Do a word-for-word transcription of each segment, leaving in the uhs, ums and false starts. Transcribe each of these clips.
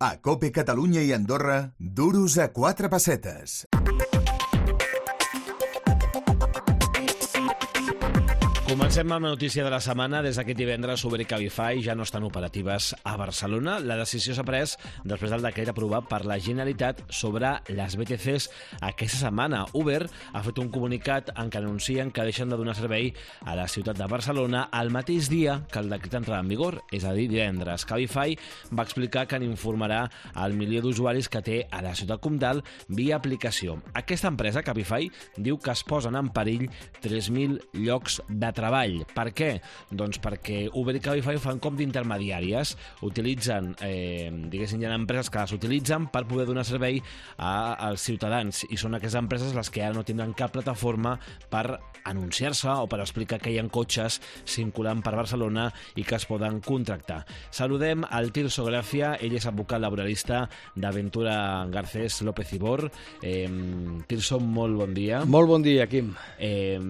A COPE Catalunya i Andorra, duros a quatre pessetes. Comencem amb la notícia de la setmana. Des d'aquest divendres, Uber i Cabify ja no estan operatives a Barcelona. La decisió s'ha pres després del decret aprovat per la Generalitat sobre les B T Cs aquesta setmana. Uber ha fet un comunicat en què anuncien que deixen de donar servei a la ciutat de Barcelona el mateix dia que el decret entrarà en vigor, és a dir, divendres. Cabify va explicar que n'informarà al milió d'usuaris que té a la ciutat comtal via aplicació. Aquesta empresa, Cabify, diu que es posen en perill tres mil llocs de treball. Per què? Doncs perquè Uber i Cabify fan com d'intermediàries. Utilitzen, eh, diguéssim, hi ha empreses que les utilitzen per poder donar servei a, als ciutadans, i són aquestes empreses les que ara no tindran cap plataforma per anunciar-se o per explicar que hi ha cotxes circulant per Barcelona i que es poden contractar. Saludem al Tirso Gràcia, ell és advocat laboralista d'Aventura Garcés López Ibor. Eh, Tirso, molt bon dia. Molt bon dia, Quim. Eh,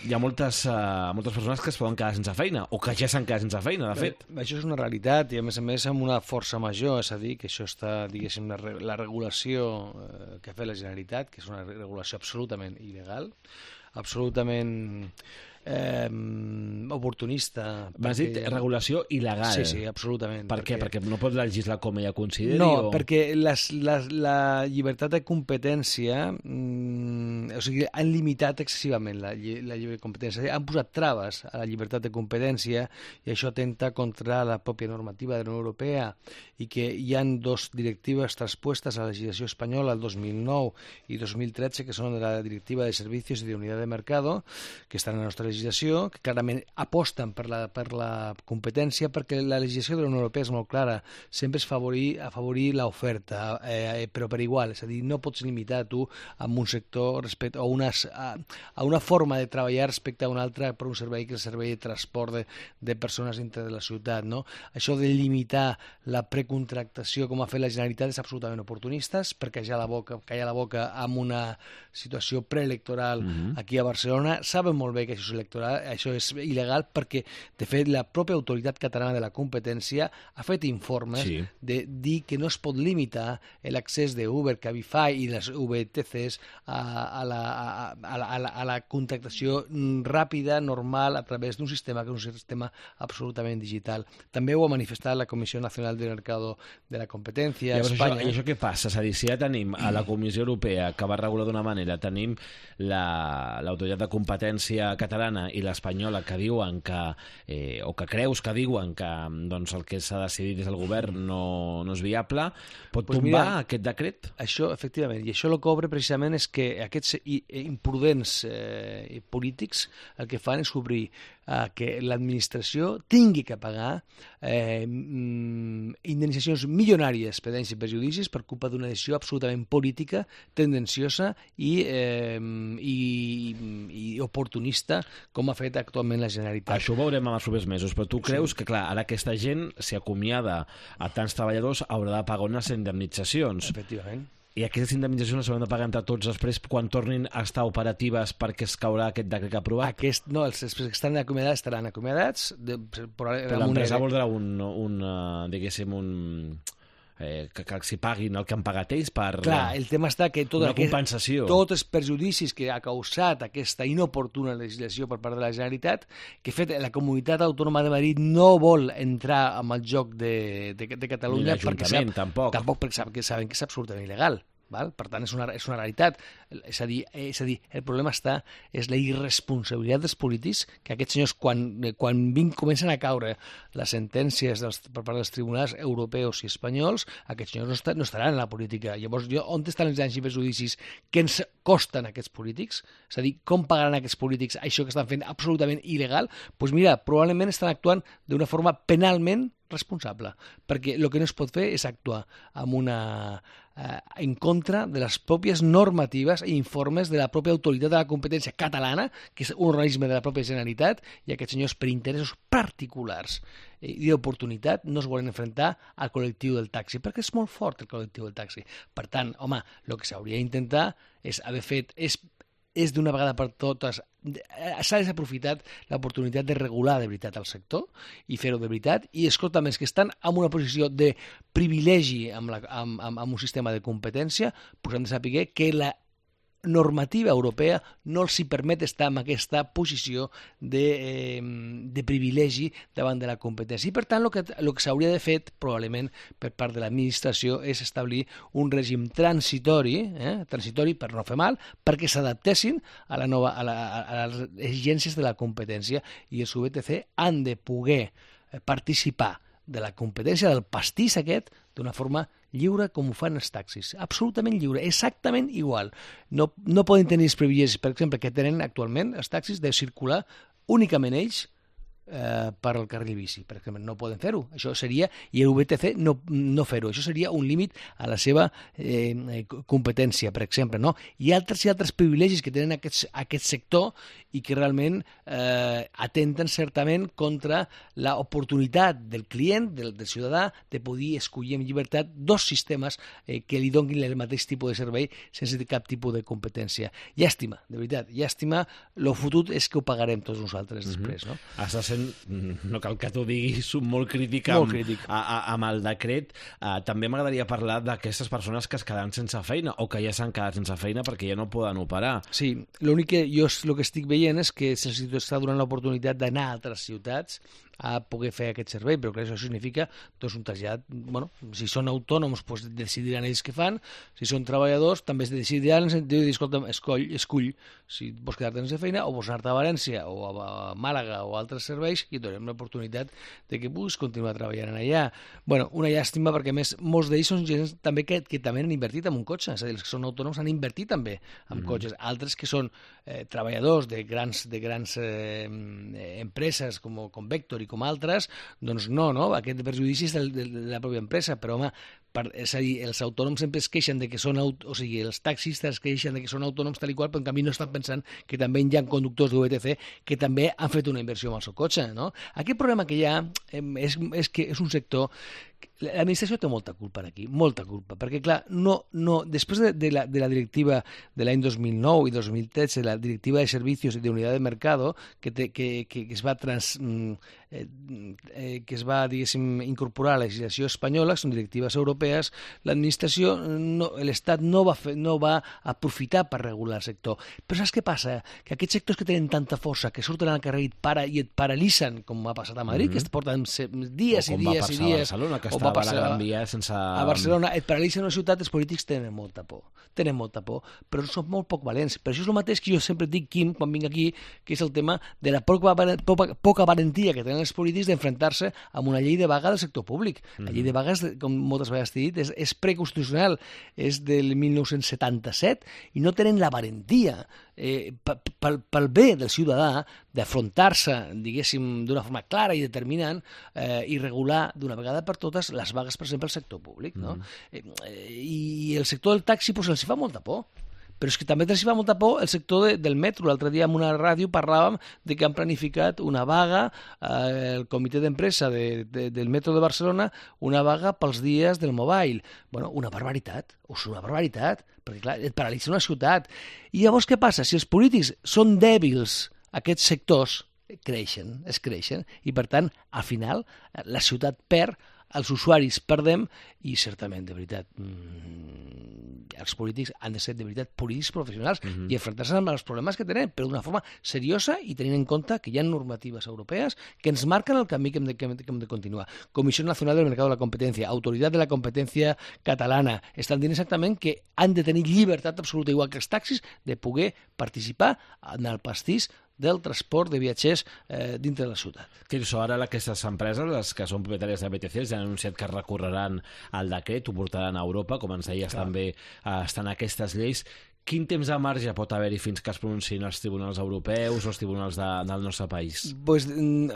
hi ha moltes, uh, moltes persones que es poden quedar sense feina, o que ja s'han quedat sense feina, de fet. Bé, això és una realitat, i a més a més amb una força major, és a dir, que això està, diguéssim, la, la regulació eh, que ha fet la Generalitat, que és una regulació absolutament il·legal, absolutament eh, oportunista. M'has dit regulació il·legal. Sí, sí, absolutament. Per què? Perquè no pot legislar com ella consideri? No, o... perquè les, les, la llibertat de competència, mm, o sigui, han limitat excessivament la, la llibertat de competència, han posat traves a la llibertat de competència, i això atenta contra la pròpia normativa de la Unió Europea, i que hi han dos directives transpuestes a la legislació espanyola el dos mil nou i dos mil tretze, que són de la Directiva de Servicios i de Unidad de Mercado, que estan en la nostra legislació, que clarament aposten per la, per la competència, perquè la legislació de la Unió Europea és molt clara, sempre és favorir, afavorir l'oferta, eh, però per igual, és a dir, no pots limitar tu a un sector respecte a, unes, a, a una forma de treballar respecte a una altra per un servei que és el servei de transport de, de persones dintre de la ciutat, no? Això de limitar la precontractació com ha fet la Generalitat és absolutament oportunista, perquè ja la boca, calla la boca amb una situació preelectoral mm-hmm. aquí a Barcelona. Saben molt bé que això és electoral, això és il·legal, perquè de fet la pròpia autoritat catalana de la competència ha fet informes sí. de dir que no es pot limitar l'accés d'Uber, Cabify i les V T Cs a, a, la, a, a, la, a, la, a la contractació ràpida, normal, a través d'un sistema que és un sistema absolutament digital. També ho ha manifestat la Comissió Nacional del Mercado de la Competència a Espanya. Això, I això què passa? És a dir, si ja tenim a la Comissió Europea, que va regular d'una manera, tenim l'autoritat la, de competència catalana i l'espanyola que diuen que, eh, o que creus que diuen que doncs, el que s'ha decidit des del govern no, no és viable, pot pues tombar mira, aquest decret? Això, efectivament, i això el que obre precisament és que aquests imprudents eh, polítics el que fan és obrir eh, que l'administració tingui que pagar eh, indemnitzacions milionàries per danys i perjudicis per culpa d'una decisió absolutament política, tendenciosa i, eh, i, i oportunista, com ha fet actualment la Generalitat. Això ho veurem en els propers mesos, però tu creus sí. que, clar, ara aquesta gent, si acomiada a tants treballadors, haurà de pagar unes indemnitzacions. Efectivament. I aquestes indemnitzacions s'hauran de pagar entre tots després quan tornin a estar operatives perquè es caurà aquest decret aprovat? Aquest, no, els que estan acomiadats estaran acomiadats. De, però l'empresa voldrà un, un, diguéssim, un... Eh, que, que s'hi paguin el que han pagat ells per Clar, el tema està que tot una aquest, compensació. Tots els perjudicis que ha causat aquesta inoportuna legislació per part de la Generalitat, que fet la Comunitat Autònoma de Madrid no vol entrar en el joc de, de, de Catalunya. Ni l'Ajuntament, tampoc. Tampoc perquè saben que, saben que és absolutament il·legal. Val? Per tant, és una, és una realitat. És a dir, és a dir, el problema està és la irresponsabilitat dels polítics, que aquests senyors, quan, quan vinc, comencen a caure les sentències dels, per part dels tribunals europeus i espanyols, aquests senyors no, està, no estaran en la política. Llavors, jo, on estan els danys i perjudicis que ens costen aquests polítics? És a dir, com pagaran aquests polítics això que estan fent absolutament il·legal? Doncs pues mira, probablement estan actuant d'una forma penalment responsable, perquè el que no es pot fer és actuar amb una, eh, en contra de les pròpies normatives i informes de la pròpia autoritat de la competència catalana, que és un organisme de la pròpia Generalitat, i aquests senyors per interessos particulars i d'oportunitat no es volen enfrontar al col·lectiu del taxi, perquè és molt fort el col·lectiu del taxi. Per tant, home, el que s'hauria d'intentar és haver fet és és d'una vegada per totes, s'ha desaprofitat l'oportunitat de regular de veritat el sector i fer-ho de veritat, i escolta, més que estan en una posició de privilegi amb, la, amb, amb, amb un sistema de competència, pues han de saber que la normativa europea no els hi permet estar en aquesta posició de, eh, de privilegi davant de la competència. I, per tant, el que, el que s'hauria de fer, probablement, per part de l'administració, és establir un règim transitori, eh, transitori per no fer mal, perquè s'adaptessin a, la nova, a, la, a les exigències de la competència, i els U B T C han de poder participar de la competència del pastís aquest d'una forma lliure com ho fan els taxis. Absolutament lliure, exactament igual. No, no poden tenir els privilegis, per exemple, que tenen actualment els taxis de circular únicament ells eh, per al carril bici. Per exemple, no poden fer-ho. Això seria, i el U B T C no, no fer-ho. Això seria un límit a la seva eh, competència, per exemple. No? Hi ha altres i altres privilegis que tenen aquest, aquest sector i que realment eh, atenten certament contra l'oportunitat del client, del, del ciutadà, de poder escollir amb llibertat dos sistemes eh, que li donin el mateix tipus de servei sense cap tipus de competència. Llàstima, de veritat, llàstima. Lo fotut és que ho pagarem tots nosaltres després. No? Estàs sent, no cal que t'ho diguis, molt crític amb, molt crític. A, a, amb el decret. Uh, també m'agradaria parlar d'aquestes persones que es quedaran sense feina o que ja s'han quedat sense feina perquè ja no poden operar. Sí, l'únic que jo el que estic veient és que se'ls està donant l'oportunitat d'anar a altres ciutats a poder fer aquest servei, però clar, això significa doncs, un trasllat, bueno, si són autònoms doncs decidiran ells què fan, si són treballadors també es decidiran, en dir, escolta, escoll, escull si vols quedar-te sense feina o vols anar-te a València o a Màlaga o a altres serveis i et donem l'oportunitat de que puguis continuar treballant allà. Bueno, una llàstima perquè a més molts d'ells són gent també que, que també han invertit en un cotxe, és a dir, els que són autònoms han invertit també en mm-hmm. cotxes, altres que són eh, treballadors de grans, de grans eh, empreses com, com Vector i com altres, doncs no, no? Aquest perjudici és de, de, de la pròpia empresa, però home, per, és a dir, els autònoms sempre es queixen de que són, aut o sigui, els taxistes es queixen de que són autònoms tal i qual, però en canvi no estan pensant que també hi ha conductors de U B T C que també han fet una inversió en el seu cotxe, no? Aquest problema que hi ha eh, és, és que és un sector. L'administració té molta culpa aquí, molta culpa, perquè clar, no, no, després de, de, la, de la directiva de l'any dos mil nou i dos mil tretze, la directiva de servicios i de unitat de mercado, que, te, que, que, que es va trans, eh, eh, que es va, diguéssim, incorporar a la legislació espanyola, són directives europees, l'administració, no, l'Estat no va, fer, no va aprofitar per regular el sector. Però saps què passa? Que aquests sectors que tenen tanta força, que surten al carrer i et, para, i et paralitzen, com ha passat a Madrid, mm-hmm. que es porten dies i dies i dies, que estava a la Gran Via sense... A Barcelona et paralitza una ciutat, els polítics tenen molta por, tenen molta por, però són molt poc valents. Per això és el mateix que jo sempre dic, Quim, quan vinc aquí, que és el tema de la poca, poca, poca valentia que tenen els polítics d'enfrontar-se amb una llei de vaga del sector públic. La llei de vaga, com moltes vegades t'he dit, és, és preconstitucional, és del mil nou-cents setanta-set i no tenen la valentia eh, pel, pel bé del ciutadà d'afrontar-se, diguéssim, d'una forma clara i determinant eh, i regular d'una vegada per totes les vagues, per exemple, al sector públic. No? Mm. Eh, I el sector del taxi pues, els hi fa molta por. Però és que també els hi fa molta por el sector de, del metro. L'altre dia en una ràdio parlàvem de que han planificat una vaga, eh, el comitè d'empresa de, de, del metro de Barcelona, una vaga pels dies del mobile. Bueno, una barbaritat, o sigui, una barbaritat, perquè clar, et paralitza una ciutat. I llavors què passa? Si els polítics són dèbils, aquests sectors creixen, es creixen, i per tant, al final, la ciutat perd, els usuaris perdem i certament, de veritat, mmm, els polítics han de ser de veritat polítics professionals mm-hmm. i enfrontar-se amb els problemes que tenen, però d'una forma seriosa i tenint en compte que hi ha normatives europees que ens marquen el camí que hem de, que hem de, que hem de continuar. Comissió Nacional del Mercado de la Competencia, Autoritat de la Competència Catalana, estan dient exactament que han de tenir llibertat absoluta, igual que els taxis, de poder participar en el pastís del transport de viatgers eh, dintre de la ciutat. Tirso, ara aquestes empreses, les que són propietàries de B T C, ja han anunciat que recorreran al decret, ho portaran a Europa, com ens deies, Clar. també eh, estan aquestes lleis. Quin temps de marge pot haver-hi fins que es pronunciïn els tribunals europeus o els tribunals de, del nostre país? Pues,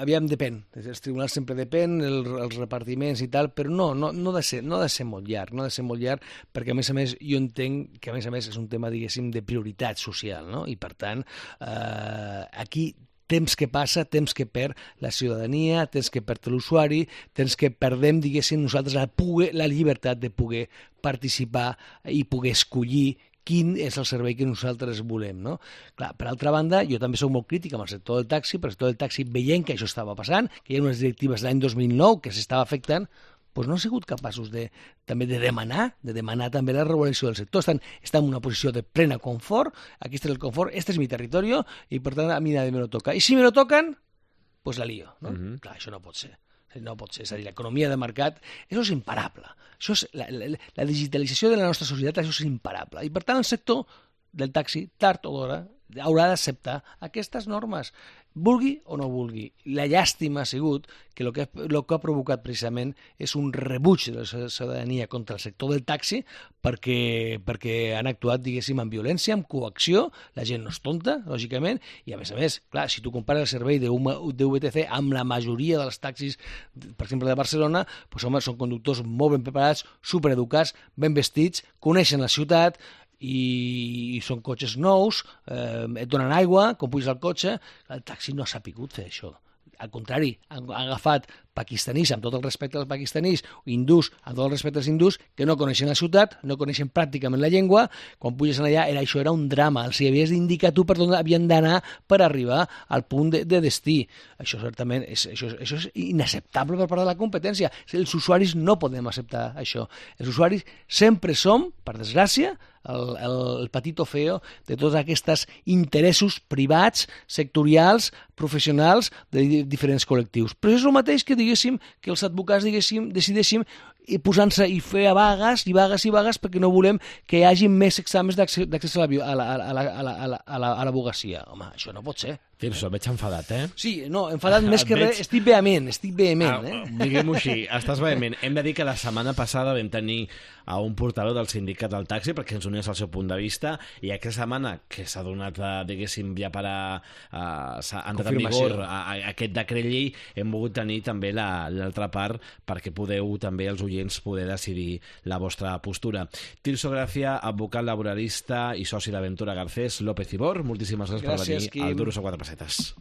aviam, depèn. Els tribunals sempre depèn, el, els repartiments i tal, però no, no, no, ha de ser, no ha de ser molt llarg, no ha de ser molt llarg, perquè a més a més jo entenc que a més a més és un tema, diguéssim, de prioritat social, no? I per tant, eh, aquí temps que passa, temps que perd la ciutadania, temps que perd l'usuari, temps que perdem, diguéssim, nosaltres la, poder, la llibertat de poder participar i poder escollir quin és el servei que nosaltres volem, no? Clar, per altra banda, jo també soc molt crític amb el sector del taxi, perquè el sector del taxi, veient que això estava passant, que hi ha unes directives de l'any dos mil nou que s'estava afectant, doncs no han sigut capaços de, també de demanar, de demanar també la regulació del sector. Estan, estan en una posició de plena confort, aquí és el confort, este és mi territori, i per tant a mi nadie me lo toca. I si me lo tocan, pues la lío, no? Uh-huh. Clar, això no pot ser. No pot ser, és a dir, l'economia de mercat, això és imparable. Això és, la, la, la digitalització de la nostra societat, això és imparable. I per tant el sector del taxi, tard o d'hora, haurà d'acceptar aquestes normes, vulgui o no vulgui. La llàstima ha sigut que el que, lo que ha provocat precisament és un rebuig de la ciutadania contra el sector del taxi perquè, perquè han actuat, diguéssim, amb violència, amb coacció, la gent no és tonta, lògicament, i a més a més, clar, si tu compares el servei de V T C amb la majoria dels taxis, per exemple, de Barcelona, doncs, home, són conductors molt ben preparats, supereducats, ben vestits, coneixen la ciutat, i són cotxes nous, eh, et donen aigua, quan puges al cotxe, el taxi no ha sapigut fer això. Al contrari, han agafat pakistanís, amb tot el respecte als pakistanís, hindús, amb tot el respecte als hindús, que no coneixen la ciutat, no coneixen pràcticament la llengua, quan puges allà, era, això era un drama, els havies d'indicar tu per on havien d'anar per arribar al punt de, de destí. Això certament és, això, això és inacceptable per part de la competència. Els usuaris no podem acceptar això. Els usuaris sempre som, per desgràcia, el, el, el patito feo de tots aquests interessos privats, sectorials, professionals de diferents col·lectius. Però és el mateix que diguéssim que els advocats diguéssim, decidéssim posant-se i fer vagues i vagues i vagues perquè no volem que hi hagi més exàmens d'accés a l'advocacia. Home, això no pot ser. Tirso, veig enfadat, eh? Sí, no, enfadat més que res, estic vehement, estic vehement, eh? Diguem-ho així, estàs vehement. Hem de dir que la setmana passada vam tenir a un portaveu del sindicat del taxi perquè ens unés al seu punt de vista i aquesta setmana que s'ha donat, diguéssim, ja per a... s'ha entrat en vigor aquest decret llei, hem volgut tenir també l'altra part perquè podeu també els oients poder decidir la vostra postura. Tirso Gràcia, advocat laboralista i soci d'Aventura Garcés, López i Bor, moltíssimes gràcies per venir al Duros a quatre pessetes.